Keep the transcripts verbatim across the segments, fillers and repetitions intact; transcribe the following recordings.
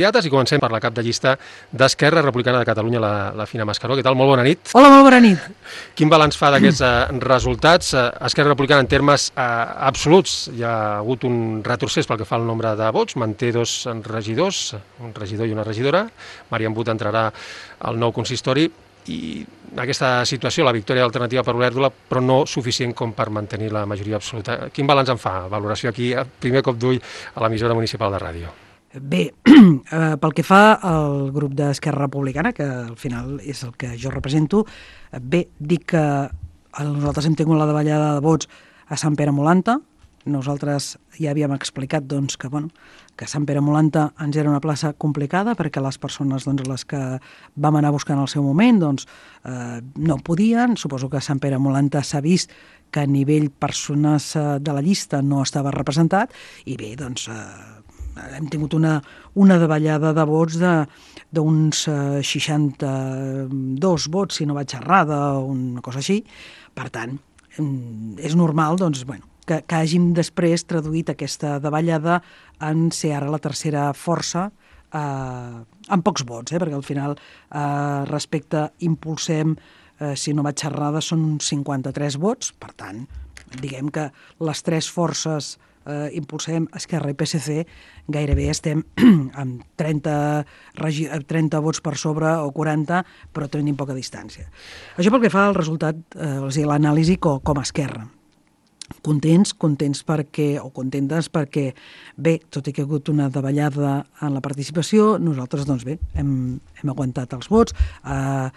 I comencem per la cap de llista d'Esquerra Republicana de Catalunya, la, la Fina Mascaró. Què tal? Molt bona nit. Hola, molt bona nit. Quin balanç fa d'aquests eh, resultats? Eh, Esquerra Republicana, en termes eh, absoluts, hi ha hagut un retrocés pel que fa al nombre de vots, manté dos regidors, un regidor i una regidora. Marian But entrarà al nou consistori i aquesta situació, la victòria alternativa per Olèrdola, però no suficient com per mantenir la majoria absoluta. Quin balanç en fa? Valoració aquí, primer cop d'ull a l'emissora municipal de ràdio. Bé, eh, pel que fa al grup d'Esquerra Republicana, que al final és el que jo represento, bé, dic que nosaltres hem tingut la davallada de vots a Sant Pere Molanta. Nosaltres ja havíem explicat doncs, que, bueno, que Sant Pere Molanta ens era una plaça complicada perquè les persones doncs, les que vam anar buscant al seu moment doncs, eh, no podien. Suposo que a Sant Pere Molanta s'ha vist que a nivell persones de la llista no estava representat i bé, doncs... Eh, hem tingut una, una davallada de vots d'uns eh, seixanta-dos vots, si no vaig errada, o una cosa així. Per tant, és normal doncs, bueno, que, que hàgim després traduït aquesta davallada en ser ara la tercera força eh, amb pocs vots, eh, perquè al final eh, respecte impulsem, eh, si no vaig errada, són uns cinquanta-tres vots. Per tant, diguem que les tres forces Uh, impulsem Esquerra i P S C, gairebé estem amb trenta, trenta vots per sobre o quaranta, però tenim poca distància. Això pel que fa al resultat, uh, o sigui, l'anàlisi com, com a Esquerra. Contents, contents perquè, o contentes perquè, bé, tot i que ha hagut una davallada en la participació, nosaltres, doncs bé, hem, hem aguantat els vots. Uh,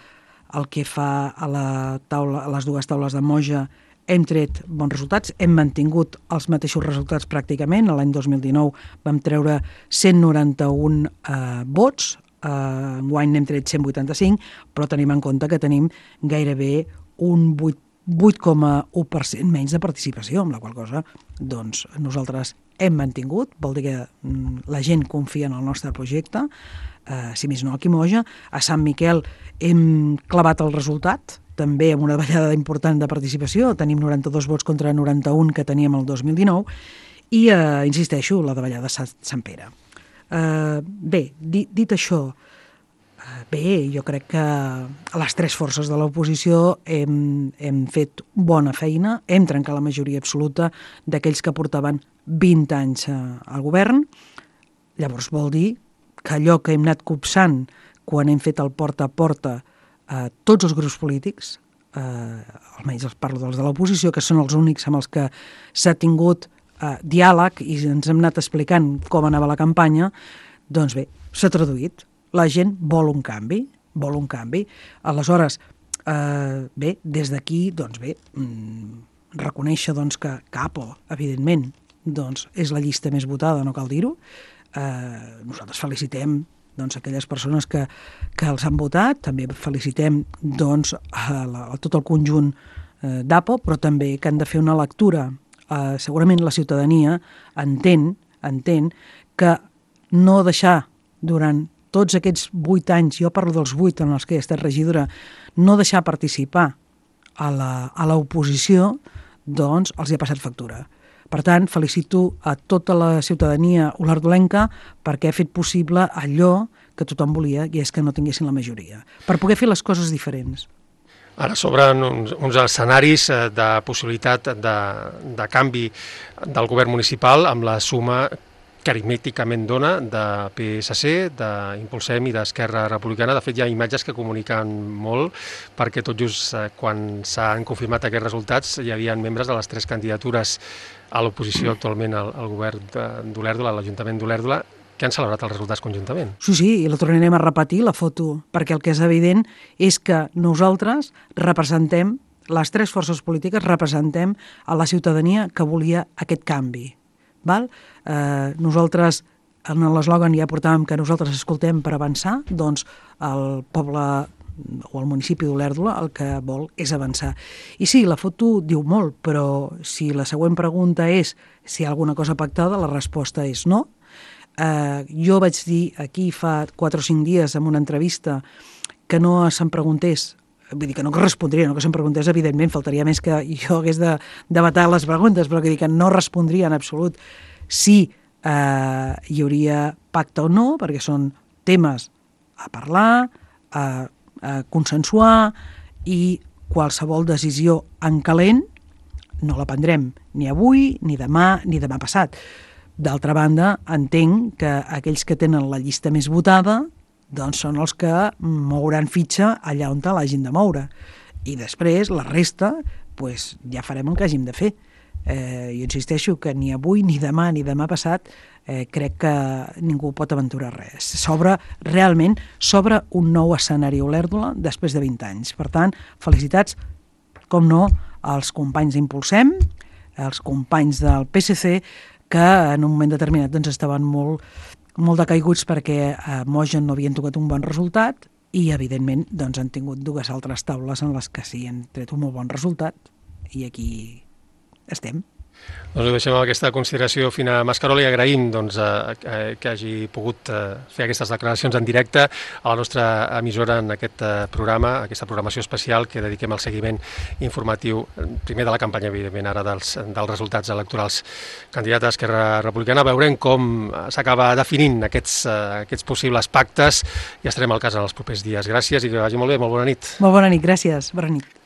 el que fa a, la taula, a les dues taules de Moja, hem tret bons resultats, hem mantingut els mateixos resultats pràcticament. L'any dos mil dinou vam treure cent noranta-un eh, vots, eh, enguany n'hem tret cent vuitanta-cinc, però tenim en compte que tenim gairebé un vuit coma u per cent menys de participació, amb la qual cosa doncs, nosaltres hem mantingut, vol dir que mm, la gent confia en el nostre projecte, eh, si més no aquí a Moja. A Sant Miquel hem clavat el resultat, també amb una davallada important de participació, tenim noranta-dos vots contra noranta-un que teníem el dos mil dinou, i, eh, insisteixo, la davallada de Sant Pere. Eh, bé, dit, dit això, eh, bé, jo crec que a les tres forces de l'oposició hem, hem fet bona feina, hem trencat la majoria absoluta d'aquells que portaven vint anys eh, al govern. Llavors vol dir que allò que hem anat copsant quan hem fet el porta a porta Uh, tots els grups polítics, uh, almenys els parlo dels de l'oposició, que són els únics amb els que s'ha tingut uh, diàleg i ens hem anat explicant com anava la campanya, doncs bé, s'ha traduït. La gent vol un canvi, vol un canvi. Aleshores, uh, bé, des d'aquí, doncs bé, mm, reconèixer doncs, que Capo, evidentment, doncs, és la llista més votada, no cal dir-ho. Uh, nosaltres felicitem doncs, aquelles persones que, que els han votat, també felicitem doncs, a, la, a tot el conjunt eh, d'Apo, però també que han de fer una lectura. Eh, segurament la ciutadania entén, entén que no deixar durant tots aquests vuit anys, jo parlo dels vuit en els que he estat regidora, no deixar participar a l'oposició, doncs els hi ha passat factura. Per tant, felicito a tota la ciutadania olerdolenca perquè ha fet possible allò que tothom volia, i és que no tinguessin la majoria, per poder fer les coses diferents. Ara s'obren uns, uns escenaris de possibilitat de, de canvi del govern municipal amb la suma que aritmèticament dona de P S C, d'Impulsem i d'Esquerra Republicana. De fet, hi ha imatges que comuniquen molt, perquè tot just quan s'han confirmat aquests resultats hi havia membres de les tres candidatures a l'oposició actualment al, al govern d'Olèrdola, a l'Ajuntament d'Olèrdola, que han celebrat els resultats conjuntament. Sí, sí, i la tornarem a repetir, la foto, perquè el que és evident és que nosaltres representem, les tres forces polítiques representem a la ciutadania que volia aquest canvi. Val? Eh, nosaltres, en l'eslògan ja portàvem que nosaltres escoltem per avançar, doncs el poble o el municipi d'Olèrdola el que vol és avançar. I sí, la foto diu molt, però si la següent pregunta és si hi ha alguna cosa pactada, la resposta és no. Eh, jo vaig dir aquí fa quatre o cinc dies en una entrevista que no se'm preguntés, vull dir que no respondria, no que se'm preguntés, evidentment, faltaria més que jo hagués de debatar les preguntes, però que, dir que no respondria en absolut si eh, hi hauria pacte o no, perquè són temes a parlar, a, a consensuar, i qualsevol decisió en calent no la prendrem ni avui, ni demà, ni demà passat. D'altra banda, entenc que aquells que tenen la llista més votada doncs són els que mouran fitxa allà on l'hagin de moure. I després, la resta, doncs, ja farem el que hàgim de fer. Eh, jo insisteixo que ni avui, ni demà, ni demà passat eh, crec que ningú pot aventurar res. S'obre, realment, s'obre un nou escenari a Olèrdola després de vint anys. Per tant, felicitats, com no, als companys d'Impulsem, als companys del P S C, que en un moment determinat doncs, estaven molt, molt decaiguts perquè a Mogen no havien tocat un bon resultat i, evidentment, doncs, han tingut dues altres taules en les que sí han tret un molt bon resultat i aquí estem. Doncs ho deixem amb aquesta consideració fina a Mascaró. Li agraïm doncs, eh, que hagi pogut eh, fer aquestes declaracions en directe a la nostra emissora en aquest eh, programa, aquesta programació especial que dediquem al seguiment informatiu, primer de la campanya, evidentment, ara dels, dels resultats electorals. Candidat a Esquerra Republicana, veurem com s'acaba definint aquests, eh, aquests possibles pactes i estarem al cas en els propers dies. Gràcies i que vagi molt bé, molt bona nit. Molt bona nit, gràcies. Bona nit.